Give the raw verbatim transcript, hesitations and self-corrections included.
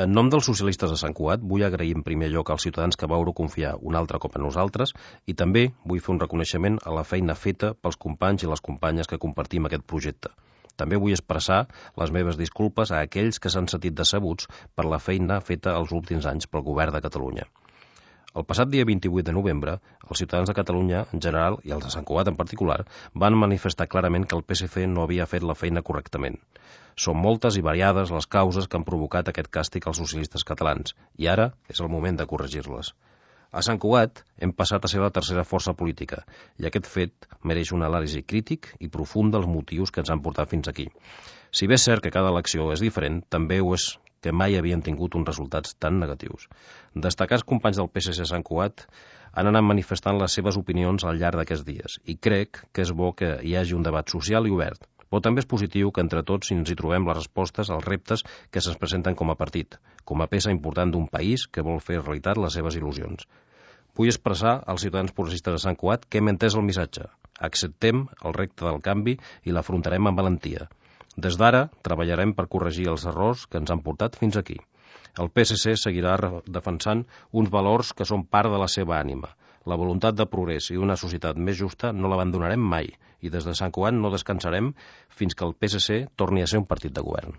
En nom dels socialistes de Sant Cugat, vull agrair en primer lloc als ciutadans que vau confiar un altre cop en nosaltres i també vull fer un reconeixement a la feina feta pels companys i les companyes que compartim aquest projecte. També vull expressar les meves disculpes a aquells que s'han sentit decebuts per la feina feta els últims anys pel Govern de Catalunya. El passat dia vint-i-vuit de novembre, els ciutadans de Catalunya en general i els de Sant Cugat en particular van manifestar clarament que el P S C no havia fet la feina correctament. Són moltes i variades les causes que han provocat aquest càstig als socialistes catalans i ara és el moment de corregir-les. A Sant Cugat hem passat a ser la tercera força política i aquest fet mereix una anàlisi crític i profunda dels motius que ens han portat fins aquí. Si bé és cert que cada elecció és diferent, també ho és que mai havien tingut uns resultats tan negatius. Destacats companys del P S C a Sant Cugat han anat manifestant les seves opinions al llarg d'aquests dies i crec que és bo que hi hagi un debat social i obert, però també és positiu que entre tots ens hi trobem les respostes als reptes que se'ns presenten com a partit, com a peça important d'un país que vol fer realitat les seves il·lusions. Vull expressar als ciutadans progressistes de Sant Cugat que hem entès el missatge. Acceptem el repte del canvi i l'afrontarem amb valentia. Des d'ara treballarem per corregir els errors que ens han portat fins aquí. El P S C seguirà defensant uns valors que són part de la seva ànima. La voluntat de progrés i d'una societat més justa no l'abandonarem mai i des de Sant Cugat no descansarem fins que el P S C torni a ser un partit de govern.